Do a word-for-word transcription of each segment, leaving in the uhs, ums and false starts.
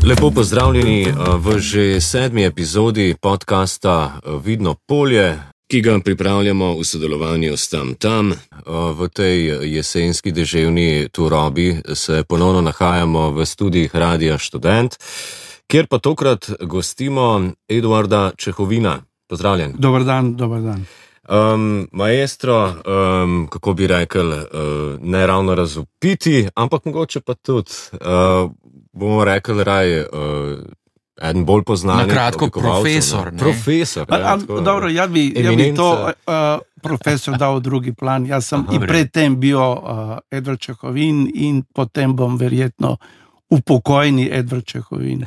Lepo pozdravljeni v že sedmi epizodi podcasta Vidno polje, ki ga pripravljamo v sodelovanju s Tam Tam. V tej jesenski deževni turobi se ponovno nahajamo v studijih Radia Študent, kjer pa tokrat gostimo Eduarda Čehovina. Pozdravljen. Dobar dan, dobar dan. Um, maestro, um, kako bi rekel, uh, ne ravno razupiti, ampak mogoče pa tudi, uh, bomo rekli raj, uh, eden bolj poznanih. Na kratko, profesor. Ne? Profesor. A, a, dobro, jaz bi, ja bi to uh, profesor dal v drugi plan. Jaz sem Aha, in predtem bil uh, Edvard Čehovin in potem bom verjetno upokojni Edvard Čehovin.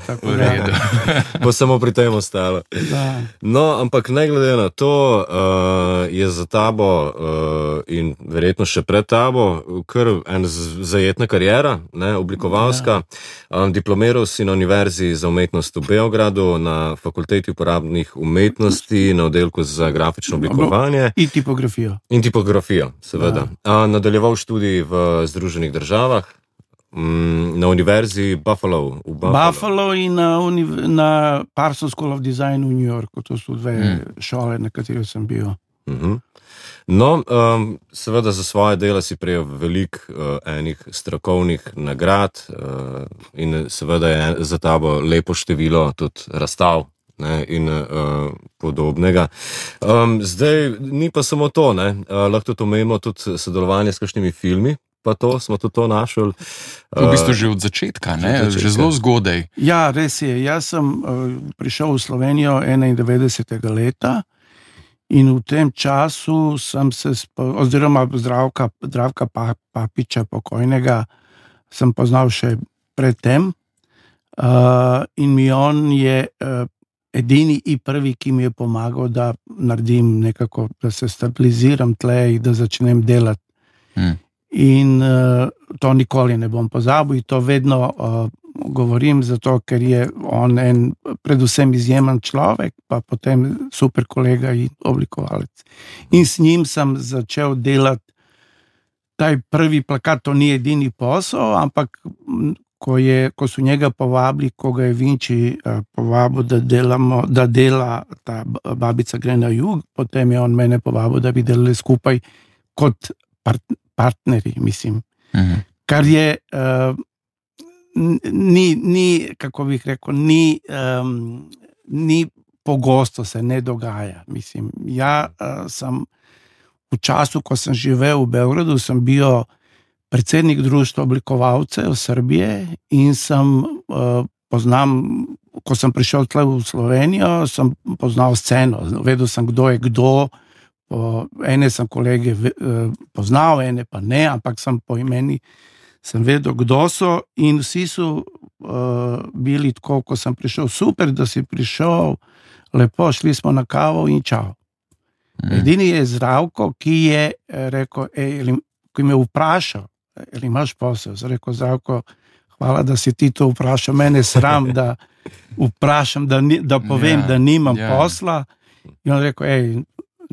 Bo samo pri tem ostalo. Da. No, ampak ne glede na to, uh, je za tabo uh, in verjetno še pred tabo kar en zajetna karijera, ne, oblikovalska. Ja. Um, diplomiral si na Univerzi za umetnost v Beogradu, na Fakulteti uporabnih umetnosti, na oddelku za grafično oblikovanje. In tipografijo. In tipografijo, seveda. Ja. Uh, nadaljeval študij v Združenih državah. Na Univerzi Buffalo v Buffalo. Buffalo in na, na Parsons School of Design v New Yorku. To so dve mm. šole, na katerih sem bil. Mm-hmm. No, um, seveda za svoje dela si prejel veliko uh, enih strokovnih nagrad uh, in seveda je za tabo lepo število tudi razstav, ne, in uh, podobnega. Um, zdaj, ni pa samo to, ne, uh, lahko tudi omenimo tudi sodelovanje s kakšnimi filmi. Pa to, smo tudi to našli. V bistvu že od začetka, ne? Že zelo zgodaj. Ja, res je. Jaz sem uh, prišel v Slovenijo enaindevetdesetega leta in v tem času sem se, spo, oziroma Zdravka, Zdravka Papiča, pokojnega, sem poznal še predtem. Uh, in mi on je uh, edini in prvi, ki mi je pomagal, da naredim nekako, da se stabiliziram tle in da začnem delati. Hmm. In uh, to nikoli ne bom pozabil in to vedno uh, govorim, zato ker je on en predvsem izjemen človek, pa potem super kolega in oblikovalec. In s njim sem začel delati taj prvi plakat, to ni edini posel, ampak ko, je, ko so njega povabili, ko ga je Vinči uh, povabil, da, delamo, da dela ta Babica gre na jug, potem je on mene povabil, da bi delali skupaj kot partner. partneri, mislim. Uh-huh. Kar je uh, ni, ni, kako bih rekel, ni, um, ni pogosto se ne dogaja. Mislim, ja uh, sem v času, ko sem živel v Beogradu, sem bil predsednik društva oblikovalcev Srbije in sem uh, poznam, ko sem prišel tle v Slovenijo, sem poznal sceno, vedel sem, kdo je kdo. Po, ene sem kolege poznal, ene pa ne, ampak sem po imeni sem vedel, kdo so in vsi so uh, bili tako, ko sem prišel, super, da si prišel, lepo, šli smo na kavo in čau. Mm. Edini je Zdravko, ki je rekel, ej, ki me vprašal, ali imaš posel, sem rekel, Zdravko, hvala, da si ti to vprašal, mene sram, da vprašam, da, ni, da povem, yeah, da nimam yeah. posla. In on rekel, ej,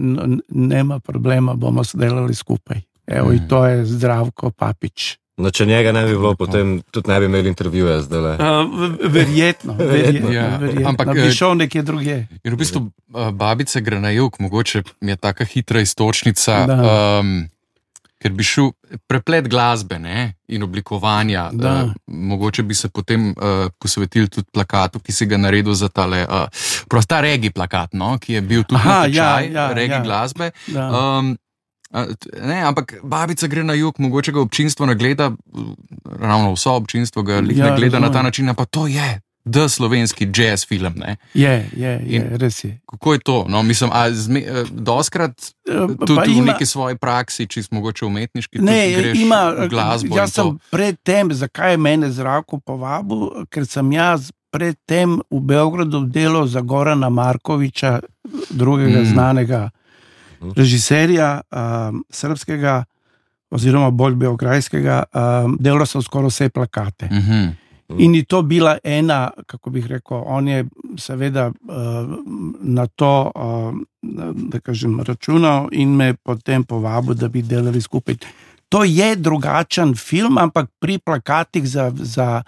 No, nema problema, bomo sodelali skupaj. Evo, mm. in to je Zdravko Papič. No, če njega ne bi bilo, potem tudi ne bi imeli intervjuja zdaj. Uh, verjetno, verjetno, ja. verjetno. Ampak bi šel nekje drugje. In v bistvu Babica gre na jug, mogoče mi je taka hitra istočnica, um, ker bi šel preplet glasbe, ne, in oblikovanja. Uh, mogoče bi se potem uh, posvetili tudi plakatu, ki si ga naredil za tale, uh, prosta regi plakat, no, ki je bil tudi Aha, natečaj, ja, ja, regi ja. glasbe. Um, uh, ne, ampak Babica gre na jug, mogoče ga občinstvo ne gleda, ravno vso občinstvo ga ja, ne gleda razumem. Na ta način, pa to je da slovenski jazz film, ne? Je, je, je, res je. Kako je to? No, mislim, a zme, doskrat tudi v ima, neki svoji praksi, čist mogoče umetniški, ne, tudi greš ima, v glasbo jaz in to. Sem predtem, zakaj je mene Zdravko povabil, ker sem jaz predtem v Beogradu delal za Gorana Markoviča, drugega mm. znanega režiserja um, srpskega, oziroma bolj beograjskega, um, delal sem skoraj vse plakate. Mhm. In je to bila ena, kako bih rekel, on je seveda uh, na to, uh, da kažem, računal in me potem povabil, da bi delali skupaj. To je drugačen film, ampak pri plakatih za, za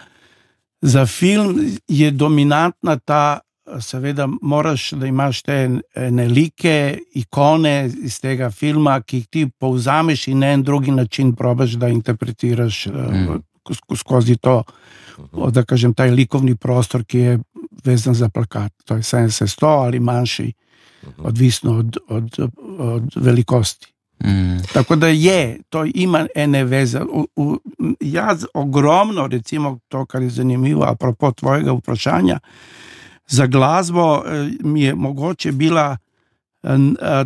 Za film je dominantna ta, seveda moraš, da imaš te nelike, ikone iz tega filma, ki jih ti povzameš in na en drugi način probaš, da interpretiraš mm. skozi to, da kažem, taj likovni prostor, ki je vezan za plakat. To je sedemdeset sto ali manjši, odvisno od, od, od velikosti. Mm. Tako da je, to ima ene veze. U, u, jaz ogromno, recimo to, kar je zanimivo, apropo tvojega vprašanja, za glasbo mi je mogoče bila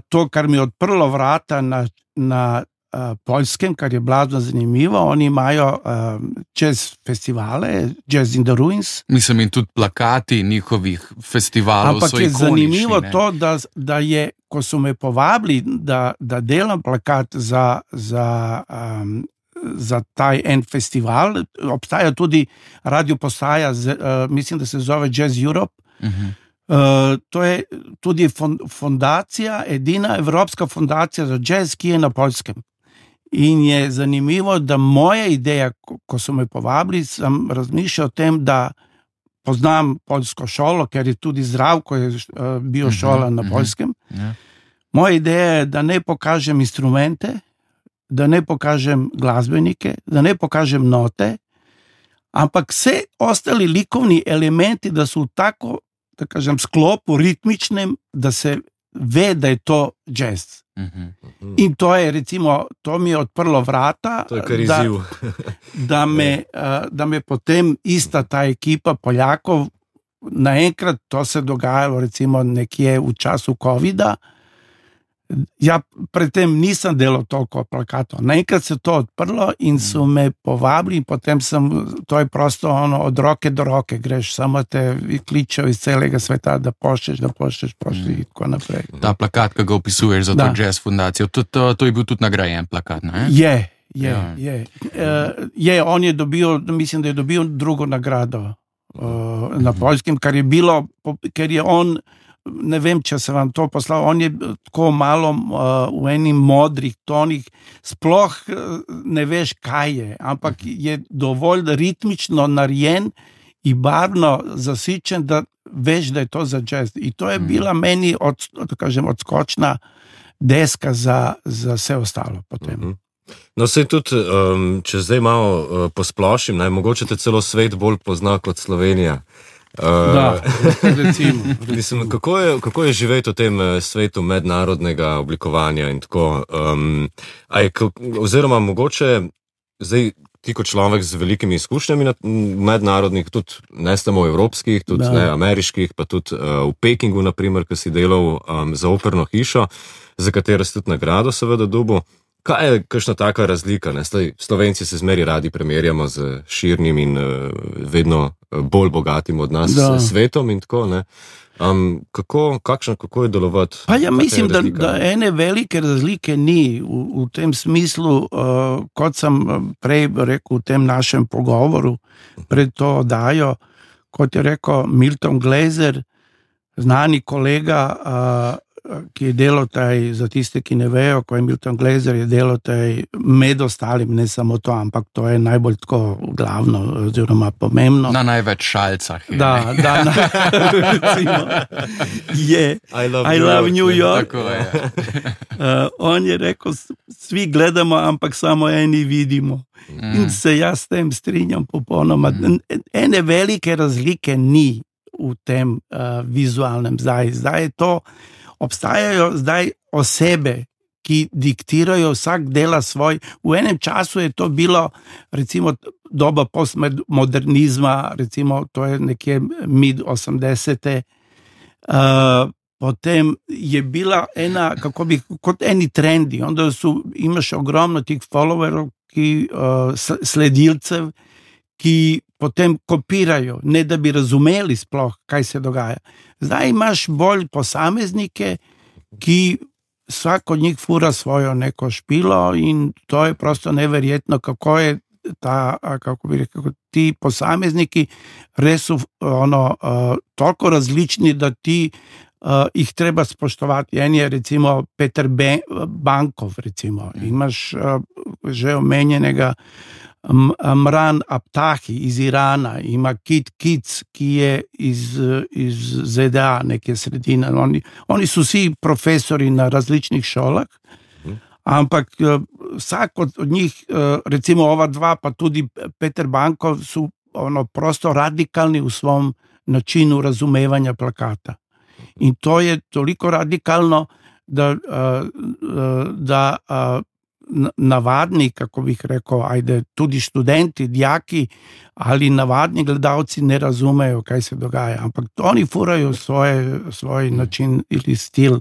to, kar mi je odprlo vrata na, na Poljskem, kar je blazno zanimivo. Oni imajo jazz festivale, Jazz in the Ruins. Mislim, in tudi plakati njihovih festivalov ampak so ikonični. Ampak je zanimivo ne? to, da, da je, ko so me povabili, da, da delam plakat za, za, um, za taj en festival, obstaja tudi radio postaja, z, uh, mislim, da se zove Jazz Europe. Uh-huh. Uh, to je tudi fondacija, edina evropska fondacija za jazz, ki je na Poljskem. In je zanimivo, da moja ideja, ko, ko so me povabili, sem razmišljal o tem, da poznam poljsko šolo, ker je tudi Zdravko je uh, bil šola uh-huh, na Poljskem. Uh-huh. Yeah. Moja ideja je, da ne pokažem instrumente, da ne pokažem glasbenike, da ne pokažem note, ampak vse ostali likovni elementi, da so v tako, da kažem, sklopu ritmičnem, da se ve, da je to jazz. Uh-huh. In to je, recimo, to mi je odprlo vrata, to je kar izziv. Da, da, me, da me potem ista ta ekipa Poljakov, naenkrat to se dogajalo, recimo, nekje v času covida. Ja, predtem nisem delal toliko plakatov. Naenkrat se to odprlo in so me povabili in potem sem, to je prosto ono, od roke do roke greš, samo te kličejo iz celega sveta, da pošlješ, da pošlješ, pošlješ in tako naprej. Ta plakat, ki ga opisuješ za to jazz fundacijo, to, to, to je bil tudi nagrajen plakat, ne? Je, je, ja. je. Uh, je, on je dobil, mislim, da je dobil drugo nagrado uh, na Poljskem, kar je bilo, ker je on, ne vem, če se vam to poslal, on je tako malo uh, v enih modrih tonih, sploh uh, ne veš, kaj je, ampak je dovolj ritmično narejen in barvno zasičen, da veš, da je to za jazz. In to je bila meni od, da kažem, odskočna deska za, za vse ostalo potem. Mm-hmm. No, sej tudi, um, če zdaj malo uh, posplošim, naj mogoče te celo svet bolj pozna kot Slovenija. Uh, da, recimo, recimo. Mislim, kako, je, kako je živeti v tem svetu mednarodnega oblikovanja in tako, um, aj, oziroma mogoče zdaj ti kot človek z velikimi izkušnjami mednarodnih, tudi ne samo evropskih, tudi ne, ameriških, pa tudi uh, v Pekingu, naprimer, ki si delal um, za operno hišo, za katero si tudi nagrado seveda dobil. Kaj je kakšna taka razlika? Ne? Slovenci se zmeri radi primerjamo z širnim in uh, vedno bolj bogatim od nas da. svetom in tako, ne? Um, kako, kakšno, kako je delovati? Pa ja mislim, da, da ene velike razlike ni v, v tem smislu, uh, kot sem prej rekel v tem našem pogovoru pred to oddajo, kot je rekel Milton Glaser, znani kolega, uh, ki je delal taj, za tiste, ki ne vejo, ko je Milton Glaser je delal taj med ostalim, ne samo to, ampak to je najbolj tako glavno, oziroma pomembno. Na največ šalcah. Je. Da, da, na, recimo, je I love, I love New York. Tako je. uh, on je rekel, svi gledamo, ampak samo eni vidimo. Mm. In se jaz s tem strinjam popolnoma. Mm. Ene velike razlike ni v tem uh, vizualnem zdaj. Zdaj je to obstajajo zdaj osebe, ki diktirajo, vsak dela svoj. V enem času je to bilo, recimo, doba postmodernizma, recimo, to je nekje mid osemdesete. Uh, potem je bila ena, kako bi, kot eni trendi, onda su, imaš ogromno tih followerov, ki, uh, sledilcev, ki potem kopirajo, ne da bi razumeli sploh, kaj se dogaja. Zdaj imaš bolj posameznike, ki vsak od njih fura svojo neko špilo in to je prosto neverjetno, kako je ta, kako bi rekel, ti posamezniki res so ono, uh, toliko različni, da ti uh, jih treba spoštovati. En je recimo Peter Be- Bankov, recimo. Imaš uh, že omenjenega Mran Abtahi iz Irana, ima Kit Kic, ki je iz, iz Z D A, neke sredine. Oni, oni so vsi profesori na različnih šolah, ampak uh, vsak od, od njih, uh, recimo ova dva, pa tudi Peter Bankov, so ono, prosto radikalni v svom načinu razumevanja plakata. In to je toliko radikalno, da, uh, da uh, navadni, kako bih rekel, ajde, tudi študenti, dijaki ali navadni gledalci ne razumejo, kaj se dogaja. Ampak oni furajo svoje, svoj način ili stil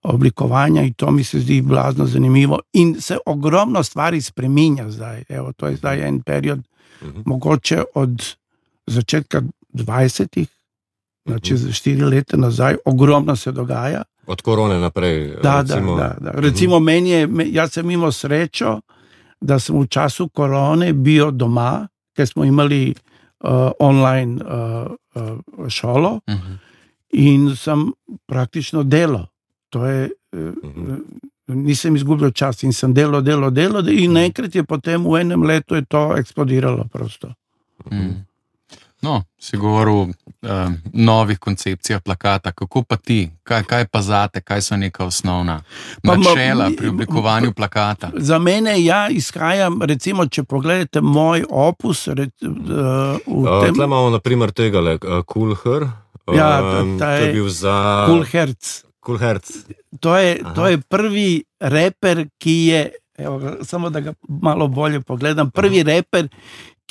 oblikovanja in to mi se zdi blazno zanimivo. In se ogromno stvari spreminja zdaj. Evo, to je zdaj en period, uh-huh. mogoče od začetka dvajsetih, znači za štiri leta nazaj, ogromno se dogaja. Od korone naprej. Da, recimo, da, da, da. Recimo uh-huh. meni je, jaz sem imel srečo, da sem v času korone bil doma, ker smo imeli uh, online uh, uh, šolo uh-huh. in sem praktično delal. To je, uh-huh. nisem izgubil čas in sem delal, delal, delal in naenkrat je potem v enem letu je to eksplodiralo prosto. Uh-huh. No, si govoril o um, novih koncepcijah plakata, kako pa ti, kaj, kaj pa zate, kaj so neka osnovna načela pri oblikovanju plakata? Za mene ja izhajam, recimo, če pogledate moj opus, re, uh, v tem... Tle imamo naprimer tegale, uh, Cool Her, uh, ja, to je, je bil za... Cool Herc. Cool Herc. To je, to je prvi reper, ki je, evo, samo da ga malo bolje pogledam, prvi Aha. reper,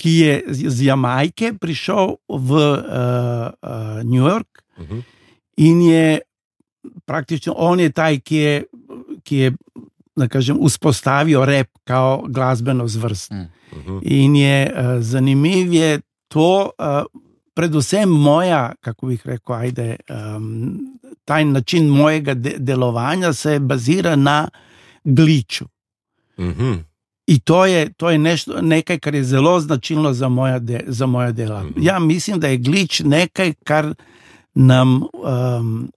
ki je z Jamajke prišel v uh, uh, New York uh-huh. in je praktično, on je taj, ki je, ki je da kažem, vzpostavil rap kao glasbeno zvrst. Uh-huh. In je uh, zanimiv je to, uh, predvsem moja, kako bih rekel, ajde, um, taj način mojega de- delovanja se bazira na gliču. Uh-huh. I to je, to je nešto, nekaj, kar je zelo značilno za moja, de, za moja dela. Mm-hmm. Ja mislim, da je glič nekaj, kar nam um,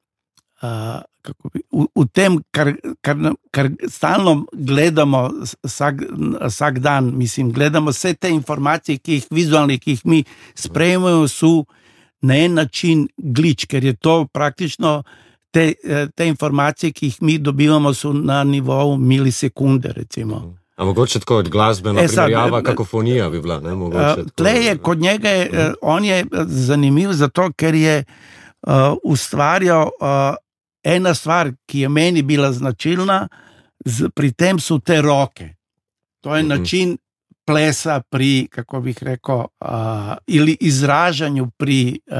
uh, kako bi, v, v tem, kar, kar, kar stalno gledamo vsak, vsak dan, mislim, gledamo vse te informacije, ki jih vizualne, ki jih mi sprejemamo, so na en način glič, ker je to praktično te, te informacije, ki jih mi dobivamo, so na nivoju milisekunde, recimo. Mm-hmm. A mogoče tako od glasbena e, primerjava, kakofonija bi bila, ne? Mogoče tle je, kod njega je, uh-huh. on je zanimiv zato, ker je uh, ustvarjal uh, ena stvar, ki je meni bila značilna, z, pri tem so te roke. To je uh-huh. način plesa pri, kako bih rekel, uh, ili izražanju pri uh,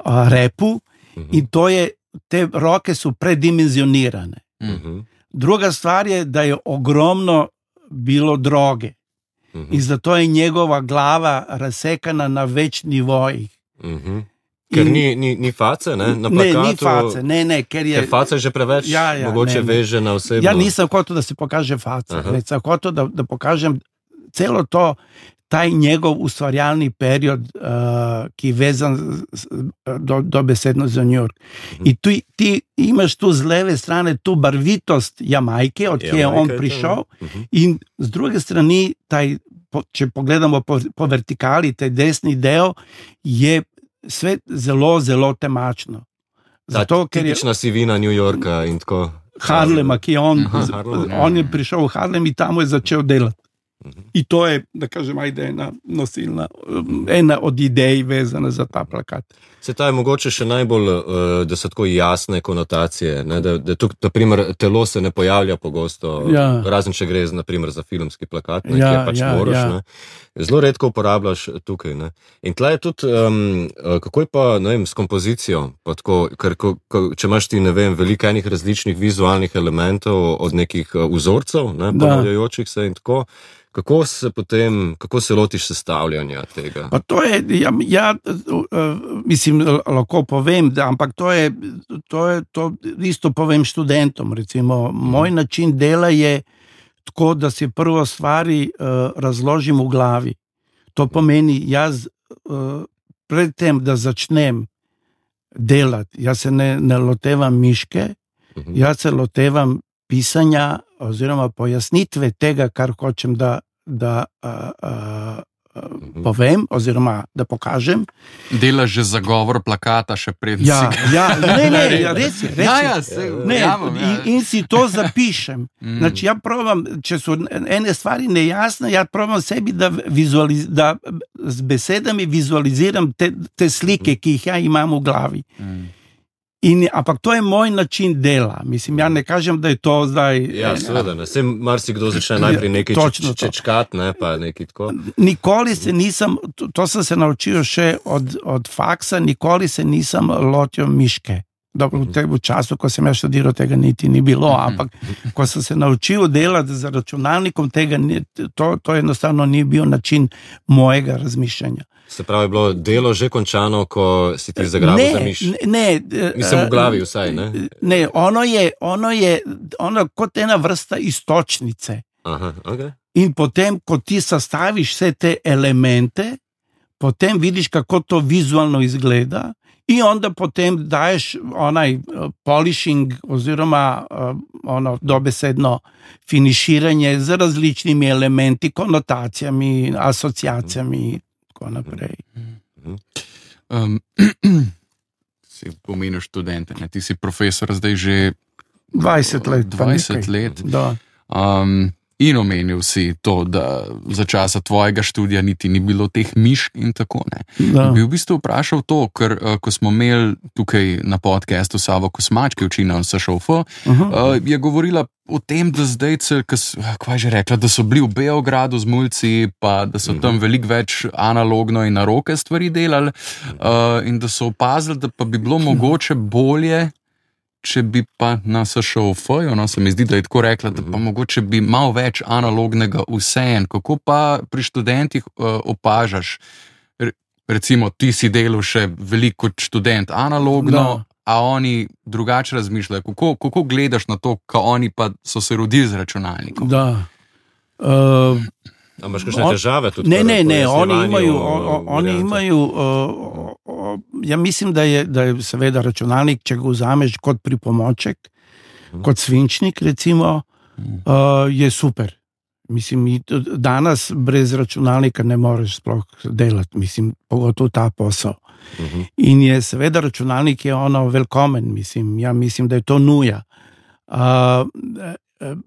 uh, repu uh-huh. in to je, te roke su predimenzionirane. Uh-huh. Druga stvar je da je ogromno bilo droge uh-huh. i zato je njegova glava razsekana na več nivojih. Uh-huh. Ker in, ni, ni, ni face, ne? Na plakatu, ne, ni face, ne, ne, ker je... Ker face je že preveč, ja, ja, mogoče ne, ne. veže na osebo. Ja nisam hotel da se pokaže face, već sam hotel da, da pokažem celo to, taj njegov ustvarjalni period uh, ki je vezan do, do besedno za New York. Mm-hmm. I tu, ti imaš tu z leve strane tu barvitost Jamajke, od kje je on prišel, mm-hmm. in z druge strani, taj, po, če pogledamo po, po vertikali, taj desni del je sve zelo, zelo temačno. Zato, ta tipična je, sivina New Yorka in tako. Harlema, ki je on, Harlem, on je prišel v Harlem i tamo je začel delati. I to je, da kažem, ajde ena nosilna, ena od idej vezana za ta plakat. Se ta je mogoče še najbolj, da so tako jasne konotacije, ne? Da, da tuk, naprimer, telo se ne pojavlja pogosto, ja. razen če gre naprimer za filmski plakat, ne, ja, ki je pač ja, moraš, ja. ne. Zelo redko uporabljaš tukaj, ne. In tle je tudi, um, kako je pa, ne vem, s kompozicijo, pa tako, ker ko, ko, če imaš ti, ne vem, veliko enih različnih vizualnih elementov od nekih vzorcev, ne, ponavljajočih se in tako, kako se potem, kako se lotiš sestavljanja tega? Pa to je, ja, ja mislim, lahko povem, da, ampak to je, to je, to isto povem študentom, recimo, moj način dela je tako, da si prvo stvari uh, razložim v glavi. To pomeni, jaz uh, pred tem, da začnem delati. Jaz se ne, ne lotevam miške, uh-huh. jaz se lotevam pisanja oziroma pojasnitve tega, kar hočem da, da uh, uh, uh-huh. povem oziroma da pokažem. Delaš že zagovor plakata še pred ja, si. Ja, ne, ne, ja, res je. Res ja, je. ja, se, ne, jamam, ja. in, in si to zapišem. mm. Znači, ja probam, če so ene stvari nejasne, ja probam sebi, da, vizualiz, da z besedami vizualiziram te, te slike, ki jih ja imam v glavi. Mm. In, ampak to je moj način dela. Mislim, ja ne kažem, da je to zdaj... Ja, seveda, ne. Sem marsikdo začne najprej nekaj če, čečkat, ne, pa nekaj tako. Nikoli se nisem, to, to sem se naučil še od, od faksa, nikoli se nisem lotil miške. Dobro, v tem času, ko sem ja študiral, tega niti ni bilo, ampak ko sem se naučil delati z računalnikom, tega ni, to, to enostavno ni bil način mojega razmišljanja. Se pravi, je bilo delo že končano, ko si ti zagrabil za miš? Ne, ne. Mislim, v glavi vsaj, ne? Ne, ono je, ono je ono kot ena vrsta istočnice. Aha, okay. In potem, ko ti sastaviš vse te elemente, potem vidiš, kako to vizualno izgleda in onda potem daješ onaj polishing oziroma ono dobesedno finiširanje z različnimi elementi, konotacijami, asociacijami, naprej. Um, si pomenil študente, ne? Ti si profesor zdaj že dvajset let. dvajset let. Da. Um, in omenil si to, da za časa tvojega študija niti ni bilo teh mišk in tako ne. Bi v bistvu vprašal to, ker ko smo imeli tukaj na podcastu Savo Kosmač, ki uči na S Š O F, uh-huh. uh, je govorila o tem, da zdaj, kaj že rekla, da so bili v Beogradu z mulci, pa da so tam veliko več analogno in na roke stvari delali uh, in da so opazili, da pa bi bilo mogoče bolje, če bi pa na S Š O F-ju, no, se mi zdi, da je tako rekla, da pa mogoče bi malo več analognega vseeno. Kako pa pri študentih uh, opažaš? Recimo, ti si delal še veliko kot študent analogno, no. A oni drugače razmišljajo. Kako, kako gledaš na to, ko oni pa so se rodili z računalnikom? Da. Uh, A imaš kakšne težave tudi? Ne, ne, ne, oni imajo, o, oni imajo uh, uh, ja mislim, da je, da je seveda računalnik, če ga vzameš kot pripomoček, hmm. kot svinčnik recimo, uh, je super. Mislim, danes brez računalnika ne moreš sploh delati, mislim, pogotovo ta posel. Uh-huh. In je seveda računalnik je ono velkomen, mislim, ja mislim, da je to nuja. Uh, uh,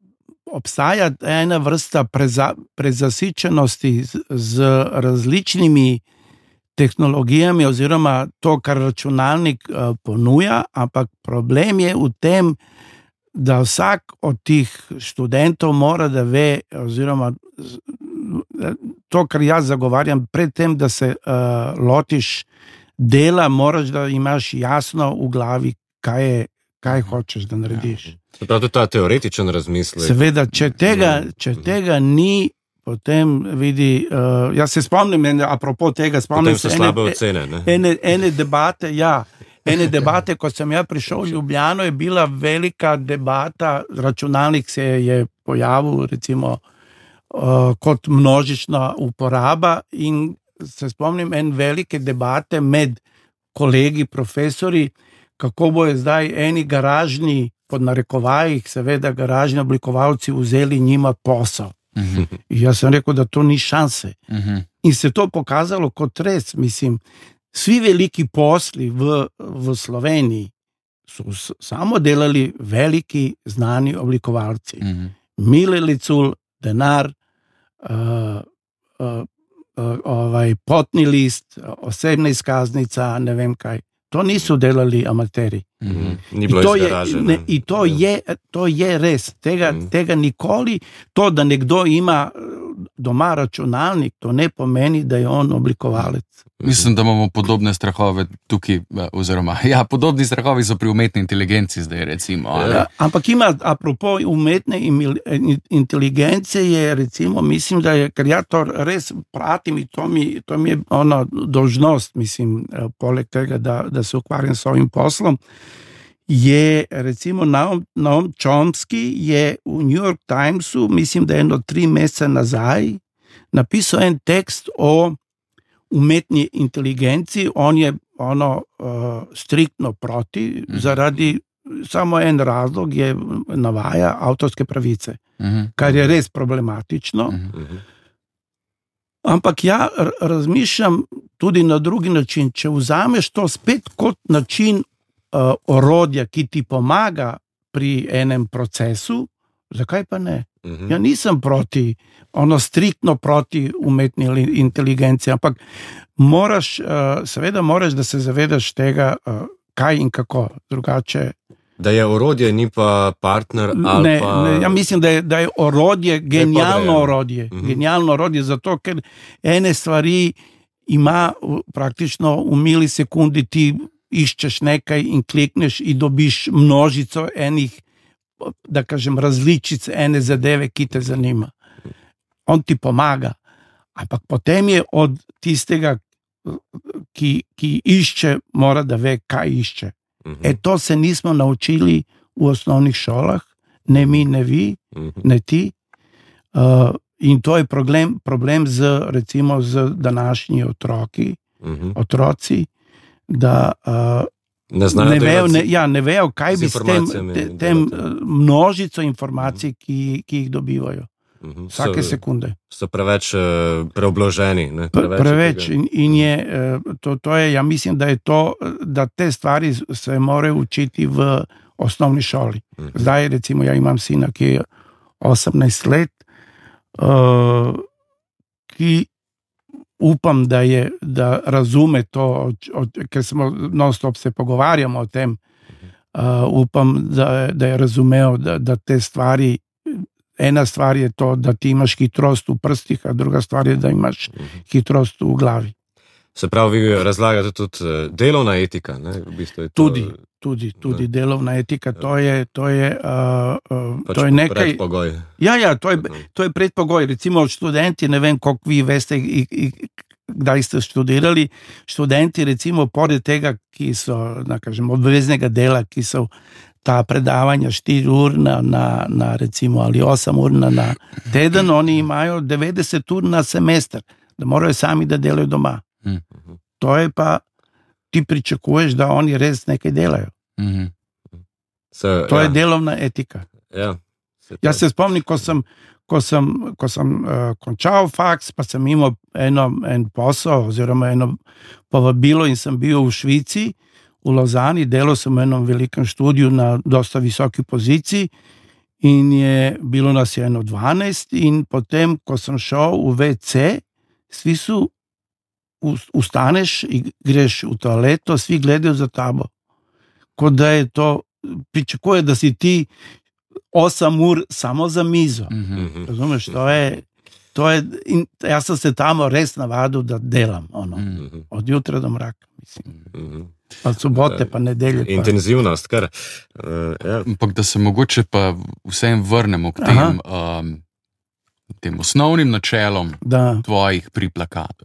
obstaja ena vrsta preza, prezasičenosti z, z različnimi tehnologijami oziroma to, kar računalnik uh, ponuja, ampak problem je v tem, da vsak od tih študentov mora da ve, oziroma to, kar jaz zagovarjam, pred tem, da se uh, lotiš dela, moraš, da imaš jasno v glavi, kaj je, kaj hočeš, da narediš. Ja. Prav to je ta teoretičen razmislek. Seveda, če tega, če tega ni, potem vidi, uh, jaz se spomnim, apropo tega, spomnim se ene, slabe ocene, ne? Ene, ene debate, ja, ene debate, ko sem ja prišel v Ljubljano, je bila velika debata, računalnik se je pojavil, recimo, uh, kot množična uporaba in se spomnim en velike debate med kolegi, profesori, kako bojo zdaj eni garažni, pod narekovajih, seveda garažni oblikovalci vzeli njima posel. Uh-huh. Jaz sem rekel, da to ni šanse. Uh-huh. In se to pokazalo kot res, mislim, vsi veliki posli v, v Sloveniji so samo delali veliki znani oblikovalci. Uh-huh. Mile Licul, denar, uh, uh, uh, ovaj, potni list, osebna izkaznica, ne vem kaj. To niso delali amateri. Mm-hmm. Ni bilo izraženo. In to je, to je res. Tega, mm. tega nikoli, to, da nekdo ima doma računalnik, to ne pomeni, da je on oblikovalec. Mislim, da imamo podobne strahove tukaj, oziroma, ja, podobni strahovi so pri umetni inteligenci zdaj, recimo. Ja, ampak ima, apropo umetne inteligence je, recimo, mislim, da je, ker ja to res pratim in to mi, to mi je ono dolžnost, mislim, poleg tega, da, da se ukvarjam s svojim poslom, je, recimo, Noam, Noam Chomsky je v New York Timesu, mislim, da je eno tri mesece nazaj, napisal en tekst o umetni inteligenci, on je, ono uh, striktno proti, uh-huh. zaradi samo en razlog je navaja avtorske pravice, uh-huh. kar je res problematično. Uh-huh. Ampak ja razmišljam tudi na drugi način, če vzameš to spet kot način uh, orodja, ki ti pomaga pri enem procesu, zakaj pa ne? Uh-huh. Ja nisem proti, ono striktno proti umetni inteligenci, ampak moraš, uh, seveda moraš, da se zavedaš tega, uh, kaj in kako, drugače. Da je orodje, ni pa partner ali ne, pa... Ne, ja mislim, da je, da je orodje genialno orodje. Uh-huh. Genialno orodje, zato ker ene stvari ima praktično v milisekundi, ti iščeš nekaj in klikneš in dobiš množico enih, da kažem, različic ene zadeve, ki te zanima. On ti pomaga, ampak potem je od tistega, ki, ki išče, mora da ve, kaj išče. Uh-huh. E to se nismo naučili v osnovnih šolah, ne mi, ne vi, uh-huh. ne ti. Uh, in to je problem, problem z, recimo, z današnji otroki, uh-huh. otroci, da uh, ne, ne, vejo, ne, ja, ne vejo, kaj bi s tem, te, tem množico informacij, ki, ki jih dobivajo. Uh-huh. Vsake so, sekunde. So preveč uh, preobloženi. Ne? Preveč, preveč in, in je, uh, to, to je, ja mislim, da je to, da te stvari se morajo učiti v osnovni šoli. Uh-huh. Zdaj, recimo, ja imam sina, ki je osemnajst let, uh, ki upam, da je, da razume to, od, od, ker smo non-stop se pogovarjamo o tem, uh, upam, da, da je razumel, da, da te stvari, ena stvar je to, da ti imaš hitrost v prstih, a druga stvar je, da imaš hitrost v glavi. Se pravi, vi razlagate tudi delovna etika, ne? V bistvu je to... Tudi, tudi, tudi delovna etika, to je, to je, uh, uh, pač to je nekaj... predpogoj. Ja, ja, to je, to je predpogoj. Recimo študenti, ne vem, koliko vi veste, i, i, kdaj ste študirali, študenti, recimo, pored tega, ki so, da kažem, obveznega dela, ki so ta predavanja štiri ur na, na, na recimo, ali osem ur na, na teden, oni imajo devetdeset ur na semester, da morajo sami da delajo doma. Mm-hmm. To je pa, ti pričakuješ, da oni res nekaj delajo. Mm-hmm. So, to ja. je delovna etika. Ja. Se Jaz se spomnim, ko sem, ko sem, ko sem uh, končal faks, pa sem imel eno, en posel oziroma eno povabilo in sem bil v Švici, v Lozani, delal sem v enom velikem študiju na dosta visoki poziciji in je bilo nas je eno dvanajst in potem, ko sem šel v ve ce, svi su ustaneš in greš v toaleto, svi gledajo za tabo. Kot da je to, pričakuje, da si ti osem ur samo za mizo. Mm-hmm. Razumeš, to je, to je, in jaz sem se tamo res navadil, da delam, ono, mm-hmm. od jutra do mraka, mislim. Mm-hmm. Pa sobote, pa nedelje. Pa. Intenzivnost, kar. Uh, ja. Ampak da se mogoče pa vsem vrnemo k tem, um, tem osnovnim načelom da. Tvojih pri plakatu.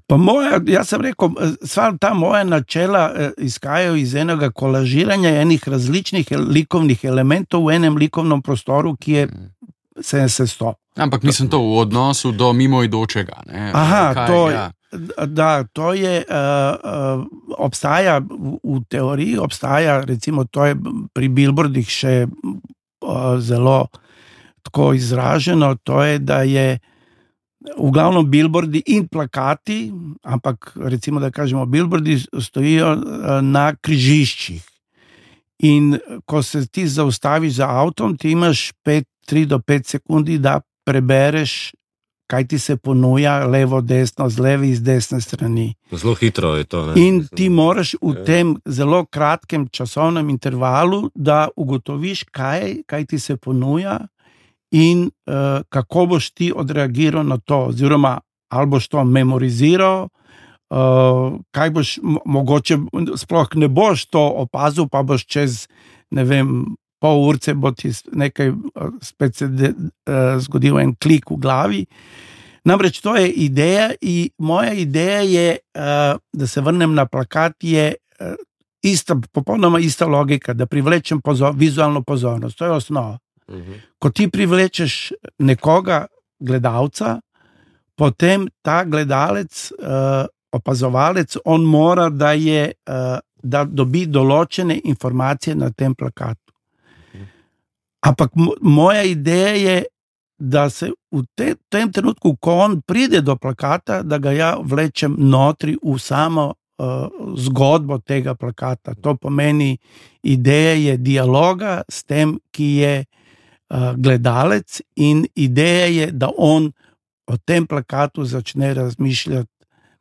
Pa moja, jaz sem rekel, sva ta moja načela izhajajo iz enega kolažiranja enih različnih likovnih elementov v enem likovnem prostoru, ki je sedemdeset sto. Ampak mislim to v odnosu do mimoidočega. Ne? Aha, Kaj, to, ja. da, to je, uh, uh, obstaja v, v teoriji, obstaja, recimo, to je pri billboardih še uh, zelo tako izraženo, to je, da je v glavnem billboardi in plakati, ampak recimo, da kažemo, billboardi stojijo na križiščih. In ko se ti zaustaviš za avtom, ti imaš pet, tri do pet sekundi, da prebereš, kaj ti se ponuja, levo, desno, z levi, z desne strani. Zelo hitro je to. Ne? In ti moraš v tem zelo kratkem časovnem intervalu, da ugotoviš, kaj, kaj ti se ponuja, in uh, kako boš ti odreagiral na to, oziroma ali boš to memoriziral, uh, kaj boš, mogoče sploh ne boš to opazil, pa boš čez, ne vem, pol urce bo ti nekaj spet se de, uh, zgodil en klik v glavi. Namreč to je ideja in moja ideja je, uh, da se vrnem na plakat, je uh, ista, popolnoma ista logika, da privlečem pozor, vizualno pozornost, to je osnova. Ko ti privlečeš nekoga, gledalca, potem ta gledalec uh, opazovalec, on mora, da, je, uh, da dobi določene informacije na tem plakatu. Ampak m- moja ideja je, da se v te, tem trenutku, ko on pride do plakata, da ga ja vlečem notri v samo uh, zgodbo tega plakata. To pomeni, ideja je dialoga s tem, ki je uh, gledalec, in ideja je, da on o tem plakatu začne razmišljati,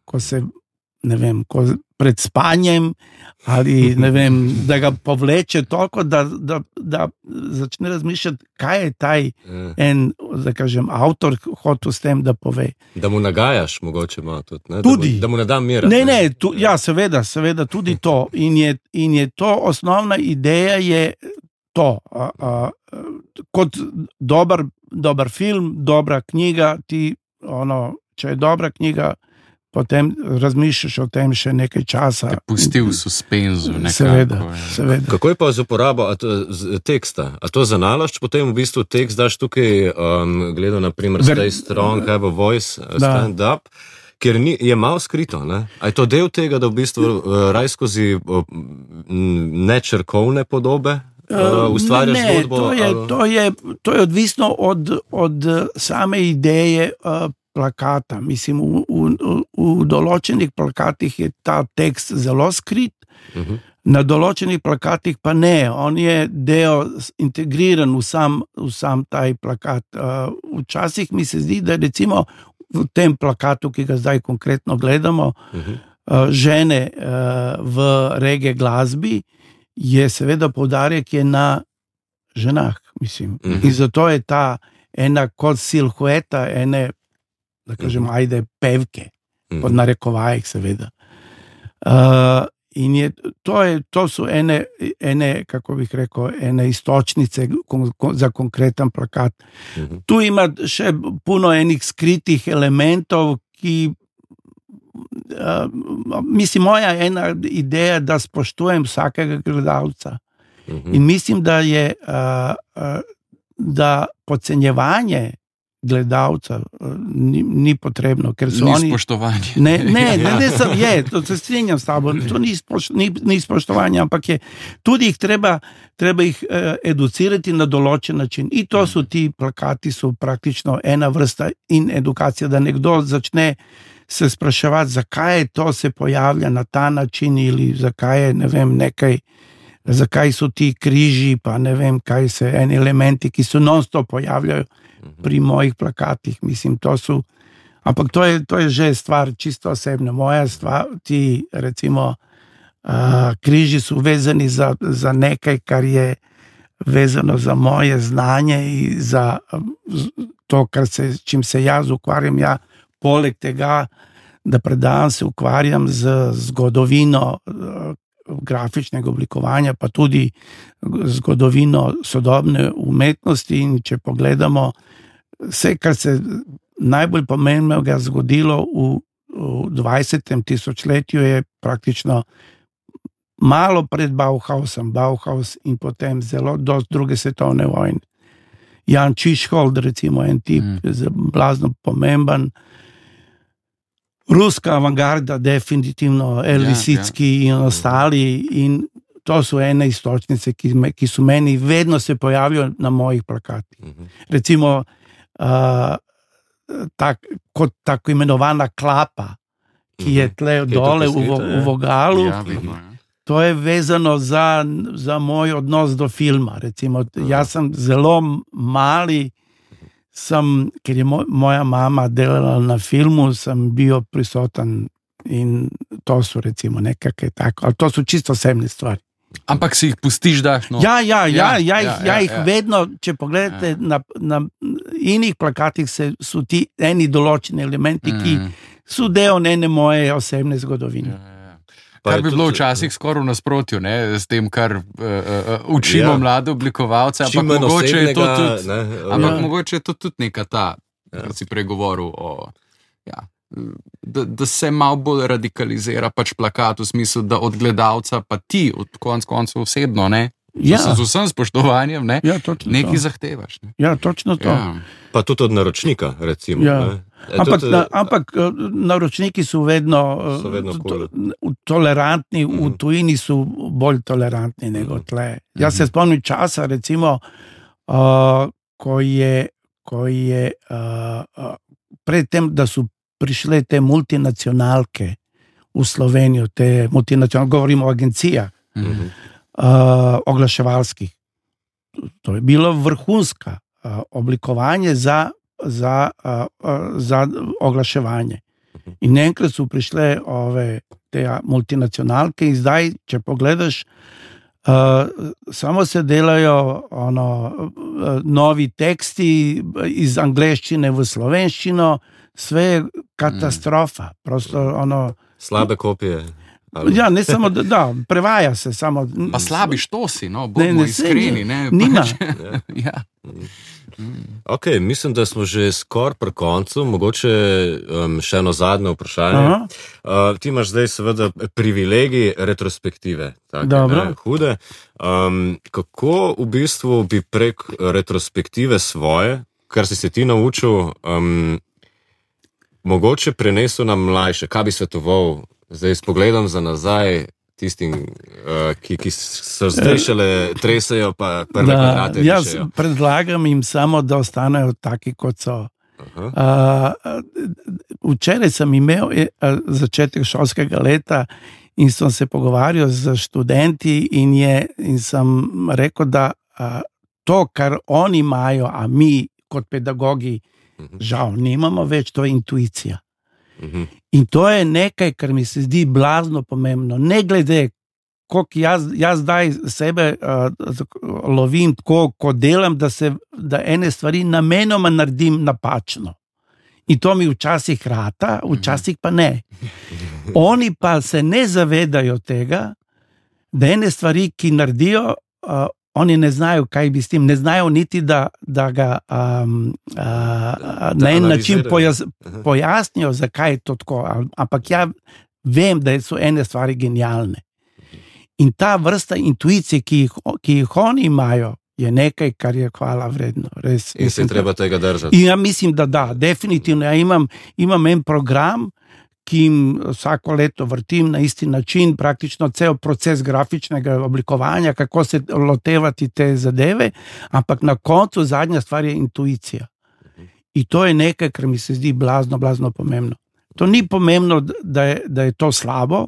ko se, ne vem, ko pred spanjem, ali ne vem, da ga povleče toliko, da, da, da začne razmišljati, kaj je taj en, da kažem, avtor hotel s tem, da pove. Da mu nagajaš, mogoče ima tudi, ne? Tudi. Da mu, da mu ne dam mira. Ne, ne, tu, ja, seveda, seveda, tudi to. In je, in je to osnovna ideja, je to. A, a, kot dober, dober film, dobra knjiga, ti, ono, če je dobra knjiga, potem razmišljaš o tem še nekaj časa. Te pusti v suspenzu. Nekako, seveda, seveda. Kako je pa z uporabo a to, z, teksta? A to za nalašč potem v bistvu tekst daš tukaj, um, gledal naprimer Ver, Stay Strong, Have a Voice, Stand da. Up, ker ni, je malo skrito, ne? A je to del tega, da v bistvu uh, raj skozi uh, nečrkovne podobe uh, ustvarjaš ne, zgodbo? To je, to, je, to je odvisno od, od same ideje uh, plakata. Mislim, v, v, v določenih plakatih je ta tekst zelo skrit, uh-huh. Na določenih plakatih pa ne. On je del integriran v sam, v sam taj plakat. Uh, včasih mi se zdi, da recimo v tem plakatu, ki ga zdaj konkretno gledamo, uh-huh. uh, žene uh, v reggae glasbi, je seveda poudarek je na ženah, mislim. Uh-huh. In zato je ta ena kot silhueta, ene da kažem, uh-huh. ajde, pevke, uh-huh. pod narekovajih, seveda. Uh, in je, to, je, to so ene, ene, kako bih rekel, ene istočnice kon, kon, za konkreten plakat. Uh-huh. Tu ima še puno enih skritih elementov, ki, uh, mislim, moja ena ideja, da spoštujem vsakega gledalca. Uh-huh. In mislim, da je, uh, uh, da podcenjevanje gledalca ni, ni potrebno, ker so ni oni... spoštovanje. Ne, ne, ne, ne sem, je, to se strinjam s tabo, to ni, spoš, ni, ni spoštovanje, ampak je, tudi jih treba, treba jih eh, educirati na določen način. In to so ti plakati, so praktično ena vrsta in edukacija, da nekdo začne se spraševati, zakaj je to se pojavlja na ta način, ili zakaj je, ne vem, nekaj, zakaj so ti križi, pa ne vem, kaj se eni elementi, ki so non-stop pojavljajo pri mojih plakatih, mislim, to so, ampak to je, to je že stvar čisto osebna. Moja stvar, ti recimo uh, križi so vezani za, za nekaj, kar je vezano za moje znanje in za to, kar se, čim se jaz ukvarjam. Ja, poleg tega, da predavam, se ukvarjam z zgodovino uh, grafičnega oblikovanja, pa tudi zgodovino sodobne umetnosti, in če pogledamo vse, kar se najbolj pomembnega zgodilo v, v dvajsetem tisočletju, je praktično malo pred Bauhausom, Bauhaus in potem zelo do druge svetovne vojne. Jan Čišhold, recimo, en tip, mm. blazno pomemben. Ruska avangarda, definitivno, Elvisicki ja, ja. in ostali, in to so ene istočnice, ki, me, ki so meni vedno se pojavijo na mojih plakatih. Uh-huh. Recimo, uh, tak, kot tako imenovana klapa, ki je tle uh-huh. dole v, v vogalu, ja, vidno, ja. To je vezano za, za moj odnos do filma. Recimo, uh-huh. jaz sem zelo mali, sem, ker je moj, moja mama delala na filmu, sem bil prisoten, in to so recimo nekakve tako, ali to so čisto osebne stvari. Ampak si jih pustiš, daš? No? Ja, ja, ja, ja, ja, ja, ja jih ja. vedno, če pogledate, ja. na, na inih plakatih se, so ti eni določeni elementi, mm. ki so del ene moje osebne zgodovine. Ja. Kar bi bilo včasih skoraj v nasprotju, ne, s tem, kar uh, uh, učimo ja. mlade oblikovalce, ampak mogoče je to tudi, ne, ampak ja. mogoče je to tudi neka ta, ja. kar si pregovoril o, ja, da, da se malo bolj radikalizira pač plakat v smislu, da od gledalca pa ti, od konc koncev osebno, ne, ja. z vsem spoštovanjem, ne, ja, nekaj zahtevaš. Ne. Ja, točno to. Ja. Pa tudi od naročnika, recimo. Ja. Ne. Ampak, na, ampak naročniki so vedno, so vedno cool. to, tolerantni, mm. v tujini so bolj tolerantni nego tle. Mm. Jaz se spomnim časa, recimo, uh, ko je, ko je uh, uh, pred tem, da so prišle te multinacionalke v Slovenijo, te multinacionalke, govorimo o agencijah, mm. uh, oglaševalskih. To je bilo vrhunska uh, oblikovanje za Za, uh, uh, za oglaševanje. In enkrat so prišle ove te multinacionalke in zdaj, če pogledaš, uh, samo se delajo ono, uh, novi teksti iz angleščine v slovenščino, sve je katastrofa. Mm. Prosto, ono, slabe kopije. Ali? Ja, ne samo, da, da prevaja se samo. Pa slabi štosi, no, bomo iskreni, ne? Nima. Ja. Ok, mislim, da smo že skoraj pri koncu, mogoče um, še eno zadnje vprašanje. Uh, ti imaš zdaj seveda privilegij retrospektive, take, ne, hude. Um, kako v bistvu bi prek retrospektive svoje, kar si se ti naučil, um, mogoče prenesel na mlajše, kaj bi svetoval zdaj s pogledom za nazaj, tistim, uh, ki, ki so zdaj šele tresajo, pa prve kvadrate jaz rišejo. Predlagam jim samo, da ostanejo taki, kot so. Uh, včeraj sem imel začetek šolskega leta in sem se pogovarjal z študenti in, je, in sem rekel, da uh, to, kar oni imajo, a mi kot pedagogi uh-huh. žal nimamo več, to je intuicija. Uh-huh. In to je nekaj, kar mi se zdi blazno pomembno. Ne glede, koliko jaz, jaz zdaj sebe uh, lovim tako, ko delam, da, se, da ene stvari namenoma naredim napačno. In to mi včasih rata, včasih pa ne. Oni pa se ne zavedajo tega, da ene stvari, ki naredijo, uh, oni ne znajo, kaj bi s tem, ne znajo niti, da, da ga um, uh, na en način pojas, pojasnijo, zakaj je to tako. Ampak ja vem, da so ene stvari genialne. In ta vrsta intuicije, ki jih, ki jih oni imajo, je nekaj, kar je hvala vredno. Res, in se treba tega držati. In ja mislim, da da, definitivno. Ja imam, imam en program, ki jim vsako leto vrtim na isti način, praktično cel proces grafičnega oblikovanja, kako se lotevati te zadeve, ampak na koncu zadnja stvar je intuicija. In to je nekaj, kar mi se zdi blazno, blazno pomembno. To ni pomembno, da je, da je to slabo,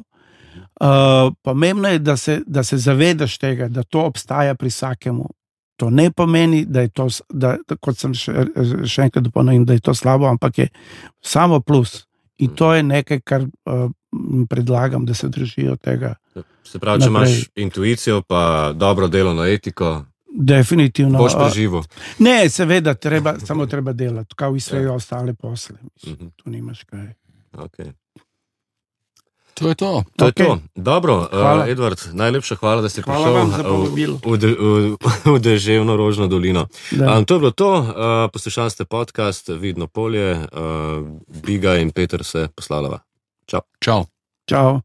uh, pomembno je, da se, da se zavedaš tega, da to obstaja pri vsakemu. To ne pomeni, da je to, da, kot sem še, še enkrat ponovim, da je to slabo, ampak je samo plus. In to je nekaj, kar uh, predlagam, da se držijo tega. Se pravi, če naprej. Imaš intuicijo, pa dobro delovno etiko, definitivno. Boš preživel. Ne, seveda, treba, samo treba delati, kao i sve ja. ostale posle. Mislim, mm-hmm. Tu nimaš kaj. Okay. To je to. To okay. je to. Dobro, uh, Edvard, najlepša hvala, da si hvala prišel v, v, v, v deževno Rožno dolino. Um, to je bilo to. Uh, poslušali ste podcast Vidno polje. Uh, Biga in Peter se poslavljava. Čau. Čau. Čau.